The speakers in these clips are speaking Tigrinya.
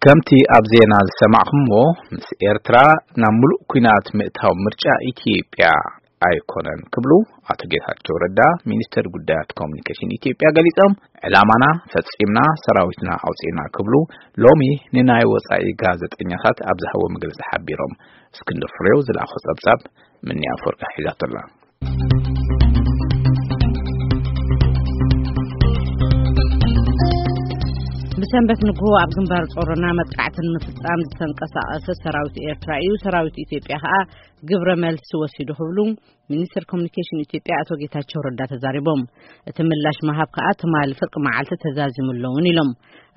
ከምቲ ኣብ ዜና ዝሰማዕኹምዎ፣ ምስ ኤርትራ ናብ ምሉእ ኲናት ምእታው ምርጫ ኢትዮጵያ ኣይኮነን ክብሉ ኣቶ ጌታቸው ረዳ፣ ሚኒስተር ጉዳያት ኮሙኒኬሽን ኢትዮጵያ፣ ገሊጾም። ዕላማና ፈጺምና፣ ሰራዊትና ኣውጺእና ክብሉ ሎሚ ንናይ ወጻኢ ጋዜጠኛታት ኣብ ዝሃቦ መግለጺ ሓቢሮም። እስክንድር ፍሬው ዝለኣኾ ጸብጻብ፣ ምንያ ኣፈወርቂ ሒዛቶ ኣላ። ብሰንበት ንግሆ ኣብ ግንባር ጾሮና መጥቃዕትን ምፍጻም ዝተንቀሳቐሰ ሰራዊት ኤርትራ እዩ። ሰራዊት ኢትዮጵያ ከኣ ግብረ መልሲ ወሲዱ ክብሉ ሚኒስትር ኮሙኒኬሽን ኢትዮጵያ ኣቶ ጌታቸው ረዳ ተዛሪቦም። እቲ ምላሽ መሃብ ከኣ ትማሊ ፍርቂ መዓልቲ ተዛዚሙ ኣለውን ኢሎም።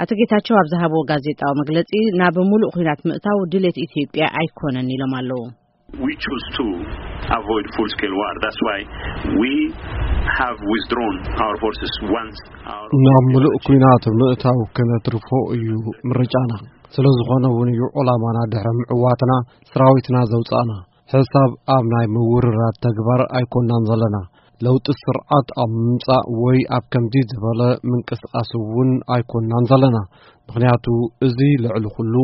ኣቶ ጌታቸው ኣብ ዝሃብዎ ጋዜጣዊ መግለጺ፣ ናብ ሙሉእ ኲናት ምእታው ድሌት ኢትዮጵያ ኣይኮነን ኢሎም ኣለዉ። We choose to avoid full-scale war. That's why we have withdrawn our forces once our ናብ ምሉእ ኲናት ምእታው ክነትርፎ እዩ ምርጫና። ስለ ዝኾነ እውን እዩ ዕላማና ድሕሪ ምዕዋትና ሰራዊትና ዘውጻእና። ሕሳብ ኣብ ናይ ምውርራድ ተግባር ኣይኮናን ዘለና። ለውጢ ስርዓት ኣብ ምምጻእ ወይ ኣብ ከምዚ ዝበለ ምንቅስቓስ እውን ኣይኮናን ዘለና። ምኽንያቱ እዚ ልዕሊ ኩሉ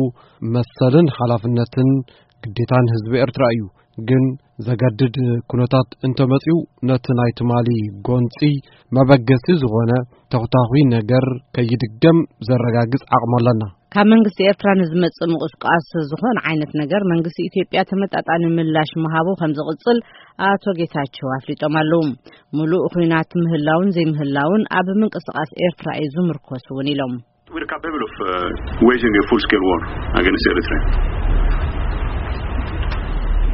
መሰልን ሓላፍነትን ግዴታን ህዝቢ ኤርትራ እዩ። ግን ዘገድድ ኩነታት እንተመጺኡ፣ ነቲ ናይ ትማሊ ጎንጺ መበገሲ ዝኾነ ተኹታኹይ ነገር ከይድገም ዘረጋግጽ ዓቕሚ ኣለና። ካብ መንግስቲ ኤርትራ ንዝመጽእ ምቁስቃስ ዝኾነ ዓይነት ነገር መንግስቲ ኢትዮጵያ ተመጣጣኒ ምላሽ ምሃቡ ከም ዝቕጽል ኣቶ ጌታቸው ኣፍሊጦም ኣለዉ። ምሉእ ኹናት ምህላውን ዘይምህላውን ኣብ ምንቅስቃስ ኤርትራ እዩ ዝምርኮስ እውን ኢሎም። We're capable of uh, waging a full-scale war against Eritrea.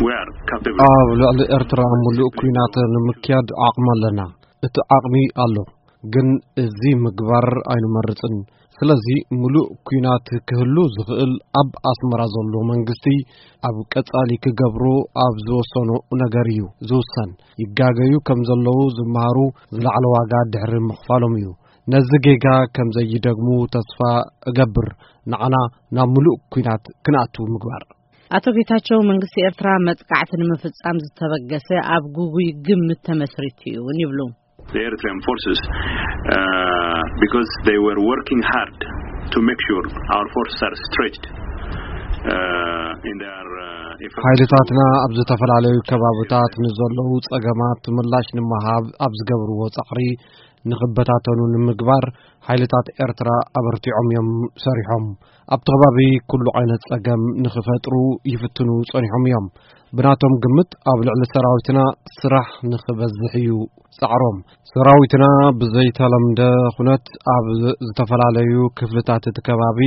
We are capable. ኣብ ልዕሊ ኤርትራ ምሉእ ኲናት ንምክያድ ዓቕሚ ኣለና። እቲ ዓቕሚ ኣሎ፣ ግን እዚ ምግባር ኣይንመርጽን። ስለዚ ምሉእ ኲናት ክህሉ ዝኽእል ኣብ ኣስመራ ዘሎ መንግስቲ ኣብ ቀጻሊ ክገብሮ ኣብ ዝወሰኖ ነገር እዩ ዝውሰን። ይጋገዩ ከም ዘለዉ ዝመሃሩ ዝለዓለ ዋጋ ድሕሪ ምኽፋሎም እዩ። ነዚ ጌጋ ከም ዘይደግሙ ተስፋ እገብር። ንዓና ናብ ምሉእ ኲናት ክንኣቱ ምግባር። ኣቶ ጌታቸው መንግስቲ ኤርትራ መጥቃዕቲ ንምፍጻም ዝተበገሰ ኣብ ጉጉይ ግምት ተመስሪቱ እዩ እውን ይብሉ። The Eritrean forces, uh, because they were working hard to make sure our forces are stretched uh, in their uh, effort. ሓይልታትና ኣብ ዝተፈላለዩ ከባብታት ንዘለዉ ጸገማት ምላሽ ንምሃብ ኣብ ዝገብርዎ ጻዕሪ ንኽበታተኑ ንምግባር ሓይልታት ኤርትራ ኣበርቲዖም እዮም ሰሪሖም። ኣብቲ ከባቢ ኩሉ ዓይነት ጸገም ንኽፈጥሩ ይፍትኑ ጸኒሖም እዮም። ብናቶም ግምት ኣብ ልዕሊ ሰራዊትና ስራሕ ንኽበዝሕ እዩ ጻዕሮም። ሰራዊትና ብዘይተለምደ ኩነት ኣብ ዝተፈላለዩ ክፍልታት እቲ ከባቢ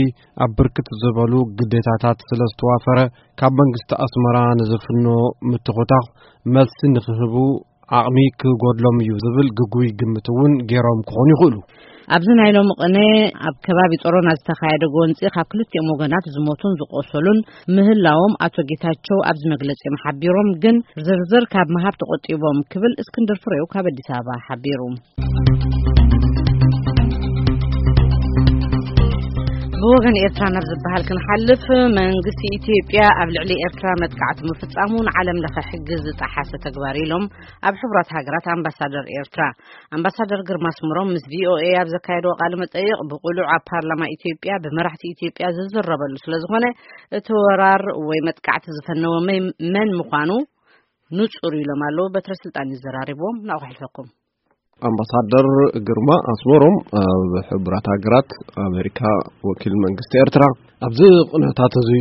ኣብ ብርክት ዝበሉ ግዴታታት ስለ ዝተዋፈረ፣ ካብ መንግስቲ ኣስመራ ንዝፍኖ ምትኹታኽ መልሲ ንኽህቡ ዓቕሚ ክጎድሎም እዩ ዝብል ግጉይ ግምት እውን ገይሮም ክኾኑ ይኽእሉ። ኣብዚ ናይ ሎሚ ቅነ ኣብ ከባቢ ጾሮና ዝተኻየደ ጎንጺ ካብ ክልቲኦም ወገናት ዝሞቱን ዝቆሰሉን ምህላዎም ኣቶ ጌታቸው ኣብዚ መግለጺኦም ሓቢሮም፣ ግን ዝርዝር ካብ ምሃብ ተቆጢቦም ክብል እስክንድር ፍሬው ካብ ኣዲስ ኣበባ ሓቢሩ። ብወገን ኤርትራ ናብ ዝበሃል ክንሓልፍ፣ መንግስቲ ኢትዮጵያ ኣብ ልዕሊ ኤርትራ መጥቃዕቲ ምፍጻሙ ንዓለም ለኸ ሕጊ ዝጠሓሰ ተግባር ኢሎም ኣብ ሕቡራት ሃገራት ኣምባሳደር ኤርትራ ኣምባሳደር ግርማ ኣስመሮም ምስ ቪኦኤ ኣብ ዘካየድዎ ቃለ መጠይቕ፣ ብቕሉዕ ኣብ ፓርላማ ኢትዮጵያ ብመራሕቲ ኢትዮጵያ ዝዝረበሉ ስለ ዝኾነ፣ እቲ ወራር ወይ መጥቃዕቲ ዝፈነወ መን፣ መን ምዃኑ ንጹር እዩ ኢሎም ኣለዉ። በትረ ስልጣን እዩ ዘራሪብዎም። ናብኡ ከሕልፈኩም። ኣምባሳደር ግርማ ኣስመሮም ኣብ ሕቡራት ሃገራት ኣሜሪካ ወኪል መንግስቲ ኤርትራ፣ ኣብዚ ኩነታት እዚ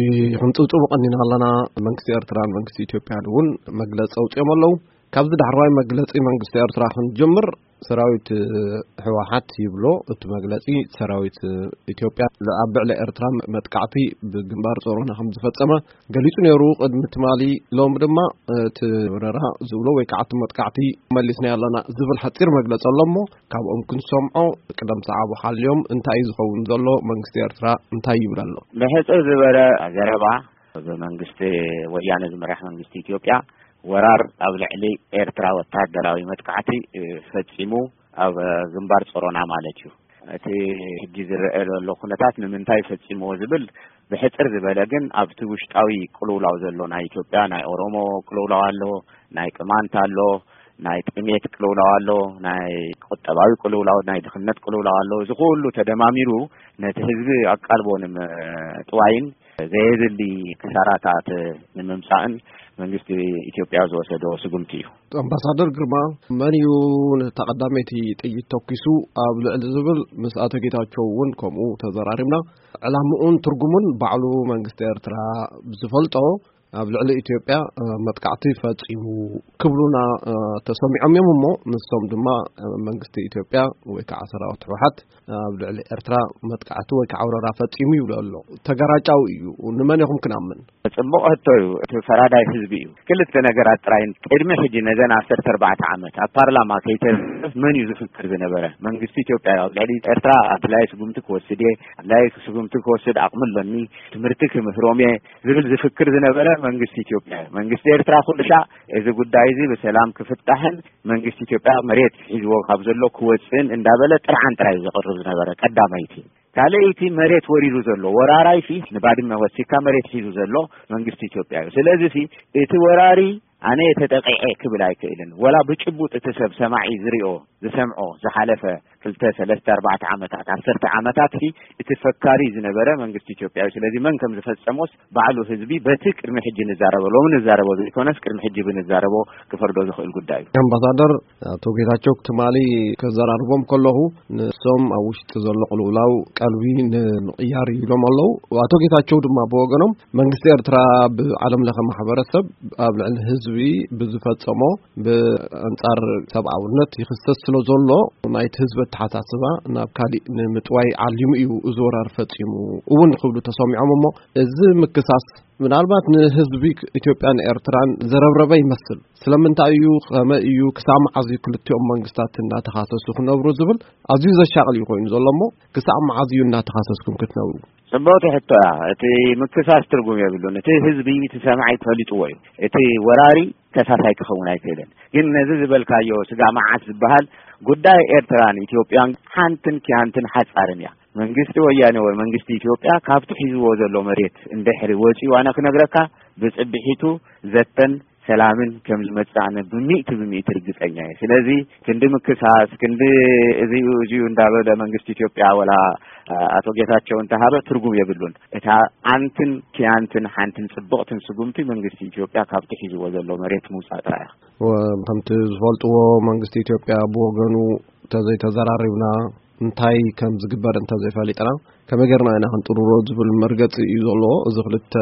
ሕንጽብጽቡ ቀኒና ኣለና። መንግስቲ ኤርትራን መንግስቲ ኢትዮጵያን እውን መግለጺ ኣውጺኦም ኣለዉ። ካብዚ ዳሕረዋይ መግለጺ መንግስቲ ኤርትራ ክንጅምር፣ ሰራዊት ህወሓት ይብሎ እቲ መግለጺ፣ ሰራዊት ኢትዮጵያ ኣብ ልዕሊ ኤርትራ መጥቃዕቲ ብግንባር ጾሮና ከም ዝፈጸመ ገሊጹ ነይሩ ቅድሚ ትማሊ። ሎም ድማ እቲ ወረራ ዝብሎ ወይ ከዓ እቲ መጥቃዕቲ መሊስና ኣለና ዝብል ሓጺር መግለጺ ኣሎ እሞ፣ ካብኦም ክንሰምዖ ቅደም ሰዓቡ ሓልዮም። እንታይ እዩ ዝኸውን ዘሎ? መንግስቲ ኤርትራ እንታይ ይብል ኣሎ? ብሕጽር ዝበለ ዘረባ፣ ብመንግስቲ ወያነ ዝምራሕ መንግስቲ ኢትዮጵያ ወራር ኣብ ልዕሊ ኤርትራ ወታደራዊ መጥቃዕቲ፣ እ፣ ፈጺሙ ኣብ፣ እ፣ ግንባር ጾሮና ማለት እዩ። እቲ ሕጂ ዝረአ ዘሎ ኩነታት ንምንታይ ፈጺምዎ ዝብል ብሕጽር ዝበለ፣ ግን ኣብቲ ውሽጣዊ ቅልውላው ዘሎ ናይ ኢትዮጵያ፣ ናይ ኦሮሞ ቅልውላው ኣሎ፣ ናይ ቅማንት ኣሎ፣ ናይ ጥሜት ቅልውላው ኣሎ፣ ናይ ቁጠባዊ ቅልውላው፣ ናይ ድኽነት ቅልውላው ኣሎ። እዚ ኩሉ ተደማሚሩ ነቲ ህዝቢ ኣቃልቦ ንምጥዋይን ዘየድሊ ክሳራታት ንምምጻእን መንግስቲ ኢትዮጵያ ዝወሰዶ ስጉምቲ እዩ። ኣምባሳደር ግርማ፣ መን እዩ ነታ ቀዳመይቲ ጥይት ተኩሱ ኣብ ልዕሊ ዝብል ምስ ኣቶ ጌታቸው እውን ከምኡ ተዘራሪብና። ዕላምኡን ትርጉሙን ባዕሉ መንግስቲ ኤርትራ ዝፈልጦ ኣብ ልዕሊ ኢትዮጵያ መጥቃዕቲ ፈጺሙ ክብሉና ተሰሚዖም እዮም። እሞ ንሶም ድማ መንግስቲ ኢትዮጵያ ወይ ከዓ ሰራዊት ህወሓት ኣብ ልዕሊ ኤርትራ መጥቃዕቲ ወይ ከዓ ወረራ ፈጺሙ ይብሉ ኣሎ። ተጋራጫዊ እዩ። ንመን ኢኹም ክናምን? ጽቡቕ ሕቶ እዩ። እቲ ፈራዳይ ህዝቢ እዩ። ክልተ ነገራት ጥራይ ቅድሚ ሕጂ ነዘን ዓሰርተ ኣርባዕተ ዓመት ኣብ ፓርላማ ከይተዘፍ መን እዩ ዝፍክር ዝነበረ? መንግስቲ ኢትዮጵያ ኣብ ልዕሊ ኤርትራ ኣድላይ ስጉምቲ ክወስድ እየ፣ ኣድላይ ስጉምቲ ክወስድ ኣቕሚ ኣለኒ፣ ትምህርቲ ክምህሮም እየ ዝብል ዝፍክር ዝነበረ መንግስቲ ኢትዮጵያ እዩ። መንግስቲ ኤርትራ ኩሉ ሻዕ እዚ ጉዳይ እዚ ብሰላም ክፍታሕን መንግስቲ ኢትዮጵያ መሬት ሒዝዎ ካብ ዘሎ ክወፅእን እንዳበለ ጥርዓን ጥራይ እዩ ዘቕርብ ዝነበረ ቀዳመይቲ። ካልኣይቲ መሬት ወሪሩ ዘሎ ወራራይ ሲ ንባድመ ወሲካ መሬት ሒዙ ዘሎ መንግስቲ ኢትዮጵያ እዩ። ስለዚ ሲ እቲ ወራሪ ኣነ ተጠቂዐ ክብል ኣይክእልን። ወላ ብጭቡጥ እቲ ሰብ ሰማዒ ዝሪኦ ዝሰምዖ ዝሓለፈ ክልተ ሰለስተ ኣርባዕተ ዓመታት ዓሰርተ ዓመታት ሲ እቲ ፈካሪ ዝነበረ መንግስቲ ኢትዮጵያ እዩ። ስለዚ መን ከም ዝፈጸሞስ ባዕሉ ህዝቢ በቲ ቅድሚ ሕጂ ንዛረቦ ሎሚ ንዛረቦ ዘይኮነስ ቅድሚ ሕጂ ብንዛረቦ ክፈርዶ ዝኽእል ጉዳይ እዩ። ኣምባሳደር፣ ኣቶ ጌታቸው ትማሊ ከዘራርቦም ከለኹ ንሶም ኣብ ውሽጢ ዘሎ ቅልውላው ቀልቢ ንምቕያር እዩ ኢሎም ኣለዉ። ኣቶ ጌታቸው ድማ ብወገኖም መንግስቲ ኤርትራ ብዓለም ለኸ ማሕበረሰብ ኣብ ልዕሊ ህዝቢ ብዝፈጸሞ ብኣንጻር ሰብኣውነት ይኽሰስ ስለ ዘሎ ናይቲ ህዝቢ ኣተሓሳስባ ናብ ካሊእ ንምጥዋይ ዓሊሙ እዩ እዚ ወራር ፈጺሙ እውን ክብሉ ተሰሚዖም። እሞ እዚ ምክሳስ ምናልባት ንህዝቢ ኢትዮጵያን ኤርትራን ዘረብረበ ይመስል። ስለምንታይ እዩ፣ ከመይ እዩ፣ ክሳብ መዓዝ እዩ ክልቲኦም መንግስታት እናተኻሰሱ ክነብሩ ዝብል ኣዝዩ ዘሻቕል እዩ ኮይኑ ዘሎ። እሞ ክሳብ መዓዝ እዩ እናተኻሰስኩም ክትነብሩ? ጽብቕቲ ሕቶ እያ። እቲ ምክሳስ ትርጉም የብሉን። እቲ ህዝቢ፣ እቲ ሰማዒ ፈሊጥዎ እዩ። እቲ ወራሪ ከሳሳይ ክኸውን ኣይክእልን። ግን ነዚ ዝበልካዮ ስጋ መዓት ዝበሃል ጉዳይ ኤርትራን ኢትዮጵያን ሓንትን ኪያንትን ሓጻርን እያ። መንግስቲ ወያኔ ወይ መንግስቲ ኢትዮጵያ ካብቲ ሒዝዎ ዘሎ መሬት እንድሕሪ ወጺኡ ኣነ ክነግረካ ብጽብሒቱ ዘተን ሰላምን ከም ዝመጽእ ኣነ ብሚእቲ ብሚእቲ ርግጸኛ እየ። ስለዚ ክንዲ ምክሳስ፣ ክንዲ እዚኡ እዚኡ እንዳበለ መንግስቲ ኢትዮጵያ ወላ ኣቶ ጌታቸው እንተሃበ ትርጉም የብሉን። እታ ኣንትን ኪያንትን ሓንትን ጽብቕትን ስጉምቲ መንግስቲ ኢትዮጵያ ካብቲ ሒዝዎ ዘሎ መሬት ምውጻእ ጥራይ እያ። ወ-፣ ከምቲ ዝፈልጥዎ መንግስቲ ኢትዮጵያ ብወገኑ ተዘይተዘራሪብና እንታይ ከም ዝግበር እንተዘይፈሊጥና ከመይ ጌርና ኢና ክንጥርሮ ዝብል መርገጺ እዩ ዘለዎ። እዚ ክልተ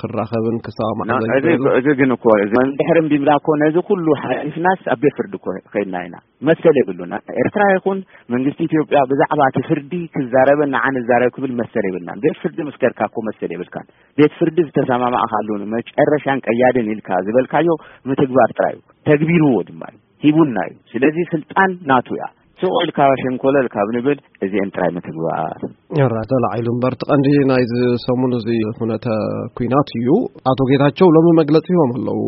ክራኸብን ክሰማማዕ ና-፣ እዚ፣ ዘይክእል። እዚ ግን እኮ፣ እዚ እንድሕር እምቢምና እኮ ነዚ ኩሉ ሓሊፍናስ ኣብ ቤት ፍርዲ እኮ ከይድና ኢና። መሰል የብሉና። ኤርትራ ይኹን መንግስቲ ኢትዮጵያ ብዛዕባ እቲ ፍርዲ ክዛረበን ንዓን እዛረብ ክብል መሰል የብልናን። ቤት ፍርዲ ምስ ከድካ እኮ መሰል የብልካን። ቤት ፍርዲ ዝተሰማማዕካሉ መጨረሻን ቀያድን ኢልካ ዝበልካዮ ምትግባር ጥራይ እዩ። ተግቢርዎ ድማ እዩ። ሂቡና እዩ። ስለዚ ስልጣን ናቱ እያ። ስቕ ኢልካ ሸንኮለል ካብ ንብል እዚአን ጥራይ ምትግባር። ራ ተላዒሉ እምበር፣ እቲ ቀንዲ ናይዚ ሰሙን እዚ ኩነተ ኲናት እዩ። ኣቶ ጌታቸው ሎሚ መግለጺ ሂቦም ኣለዉ።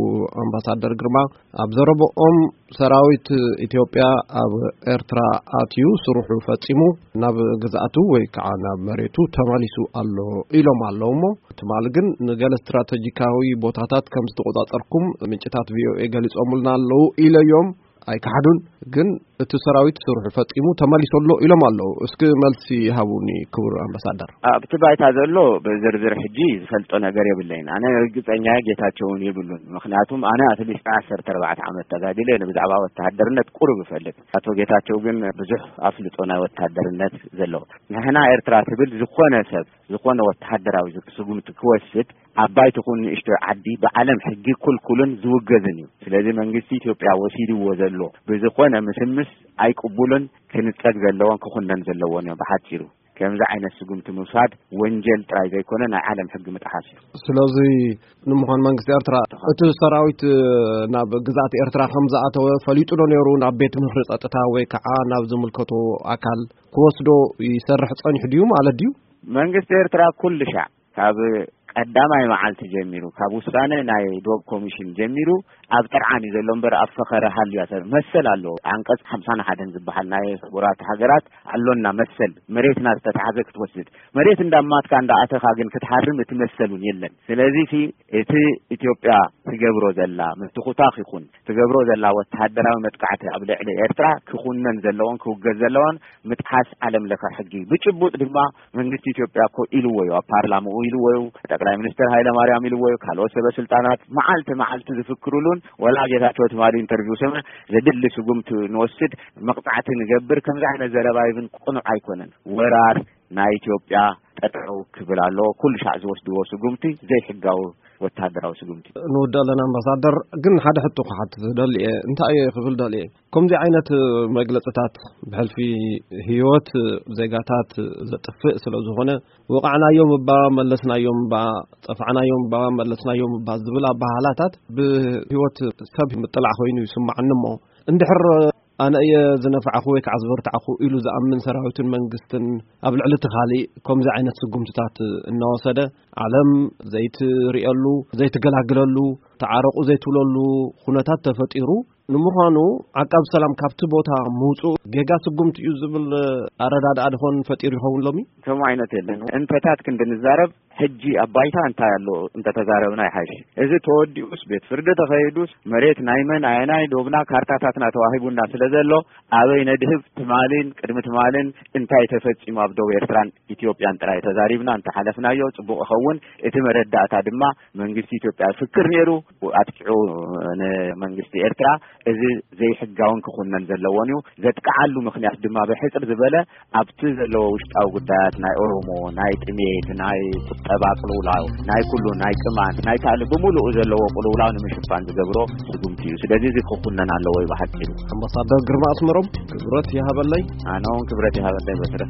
ኣምባሳደር ግርማ ኣብ ዘረብኦም ሰራዊት ኢትዮጵያ ኣብ ኤርትራ ኣትዩ ስርሑ ፈጺሙ ናብ ግዝኣቱ ወይ ከዓ ናብ መሬቱ ተመሊሱ ኣሎ ኢሎም ኣለዉ። እሞ ትማሊ ግን ንገለ ስትራተጂካዊ ቦታታት ከም ዝተቆጻጸርኩም ምንጭታት ቪ ኦ ኤ ገሊጾምልና ኣለዉ ኢለዮም። ኣይከሓዱን። ግን እቲ ሰራዊት ስርሑ ፈጺሙ ተመሊሱ ኣሎ ኢሎም ኣለዉ። እስኪ መልሲ ሃቡኒ ክቡር ኣምባሳደር። ኣብቲ ባይታ ዘሎ ብዝርዝር ሕጂ ዝፈልጦ ነገር የብለይን። ኣነ ርግጸኛ ጌታቸው እውን የብሉን። ምኽንያቱም ኣነ ኣትሊስት ዓሰርተ ኣርባዕተ ዓመት ተጋዲለ ብዛዕባ ወተሃደርነት ቁሩብ እፈልጥ። ኣቶ ጌታቸው ግን ብዙሕ ኣፍልጦ ናይ ወተሃደርነት ዘለዎ። ንሕና ኤርትራ ትብል ዝኾነ ሰብ ዝኾነ ወተሃደራዊ ስጉምቲ ክወስድ ዓባይ ትኹን ንእሽቶ ዓዲ ብዓለም ሕጊ ኩልኩልን ዝውገዝን እዩ። ስለዚ መንግስቲ ኢትዮጵያ ወሲድዎ ዘሎ ብዝኾነ ምስምስ ኣይቅቡልን፣ ክንጸግ ዘለዎን ክኹነን ዘለዎን እዮም። ብሓጺሩ ከምዚ ዓይነት ስጉምቲ ምውሳድ ወንጀል ጥራይ ዘይኮነ ናይ ዓለም ሕጊ ምጥሓስ እዩ። ስለዚ ንምዃን መንግስቲ ኤርትራ እቲ ሰራዊት ናብ ግዝኣት ኤርትራ ከም ዝኣተወ ፈሊጡ ዶ ነይሩ ናብ ቤት ምኽሪ ጸጥታ ወይ ከዓ ናብ ዝምልከቶ ኣካል ክወስዶ ይሰርሕ ጸኒሑ ድዩ ማለት ድዩ? መንግስቲ ኤርትራ ኩሉ ሻዕ ካብ ቀዳማይ መዓልቲ ጀሚሩ፣ ካብ ውሳነ ናይ ዶብ ኮሚሽን ጀሚሩ ኣብ ጥርዓን እዩ ዘሎ እምበር ኣብ ፈኸረ ሃልዩ መሰል ኣለዎ። ዓንቀጽ ሓምሳን ሓደን ዝበሃል ናይ ሕቡራት ሃገራት ኣሎና መሰል፣ መሬትና ዝተታሕዘ ክትወስድ፣ መሬት እንዳማትካ እንዳኣተኻ ግን ክትሓርም እቲ መሰል እውን የለን። ስለዚ እቲ ኢትዮጵያ ትገብሮ ዘላ ምትኹታኽ ይኹን ትገብሮ ዘላ ወተሃደራዊ መጥቃዕቲ ኣብ ልዕሊ ኤርትራ ክኹነን ዘለዎን ክውገዝ ዘለዎን ምጥሓስ ዓለም ለኸ ሕጊ። ብጭቡጥ ድማ መንግስቲ ኢትዮጵያ እኮ ኢልዎ እዩ፣ ኣብ ፓርላማኡ ኢልዎ እዩ። ጠቅላይ ሚኒስትር ሃይለ ማርያም ኢልዎ እዩ። ካልኦት ሰበ ስልጣናት መዓልቲ መዓልቲ ዝፍክሩሉን፣ ወላ ጌታቸው ትማሊ ኢንተርቪው ሰምዕ፣ ዘድሊ ስጉምቲ ንወስድ፣ መቕጻዕቲ ንገብር፣ ከምዚ ዓይነት ዘረባ ይብን ቅኑዕ ኣይኮነን። ወራር ናይ ኢትዮጵያ ጠጠው ክብል ኣለዎ። ኩሉ ሻዕ ዝወስድዎ ስጉምቲ ዘይሕጋዊ ወተሃደራዊ ስጉምቲ። ንውድእ ኣለና ኣምባሳደር፣ ግን ሓደ ሕቶ ክሓትት ደልየ። እንታይ እየ ክብል ደልየ? ከምዚ ዓይነት መግለጽታት ብሕልፊ ህይወት ዜጋታት ዘጥፍእ ስለ ዝኾነ፣ ወቃዕናዮም እባ፣ መለስናዮም እባ፣ ጸፋዕናዮም እባ፣ መለስናዮም እባ ዝብል ኣባሃላታት ብህይወት ሰብ ምጥላዕ ኮይኑ ይስማዓኒ። እሞ እንድሕር ኣነ እየ ዝነፋዕኹ ወይ ከዓ ዝበርታዕኹ ኢሉ ዝኣምን ሰራዊትን መንግስትን ኣብ ልዕሊ እቲ ካሊእ ከምዚ ዓይነት ስጉምትታት እናወሰደ፣ ዓለም ዘይትርእየሉ፣ ዘይትገላግለሉ፣ ተዓረቑ ዘይትብለሉ ኩነታት ተፈጢሩ። ንምዃኑ ዓቃብ ሰላም ካብቲ ቦታ ምውፅኡ ጌጋ ስጉምቲ እዩ ዝብል ኣረዳድኣ ድኾን ፈጢሩ ይኸውን ሎሚ? ከምኡ ዓይነት የለን። እንተታት ክንዲ ንዛረብ፣ ሕጂ ኣብ ባይታ እንታይ ኣሎ እንተተዛረብና ይሓይሽ። እዚ ተወዲኡስ፣ ቤት ፍርዲ ተኸይዱስ፣ መሬት ናይ መን ኣየናይ ዶብና ካርታታትና ተዋሂቡና ስለ ዘሎ፣ ኣበይ ነድህብ፣ ትማልን ቅድሚ ትማልን እንታይ ተፈጺሙ ኣብ ዶብ ኤርትራን ኢትዮጵያን ጥራይ ተዛሪብና እንተሓለፍናዮ ጽቡቕ ይኸውን። እቲ መረዳእታ ድማ መንግስቲ ኢትዮጵያ ፍክር ነይሩ፣ ኣጥቂዑ ንመንግስቲ ኤርትራ። እዚ ዘይሕጋውን ክኹነን ዘለዎን እዩ። ዘጥቅዓሉ ምኽንያት ድማ ብሕጽር ዝበለ ኣብቲ ዘለዎ ውሽጣዊ ጉዳያት ናይ ኦሮሞ፣ ናይ ጥሜት፣ ናይ ቁጠባ ቅልውላው፣ ናይ ኩሉ፣ ናይ ቅማንት፣ ናይ ካልእ ብምሉኡ ዘለዎ ቅልውላው ንምሽፋን ዝገብሮ ስጉምቲ እዩ። ስለዚ እዚ ክኹነን ኣለዎ እዩ ብሓጺሩ። ኣምባሳደር ግርማ ኣስመሮም፣ ክብረት ይሃበለይ። ኣነ እውን ክብረት ይሃበለይ በትረ።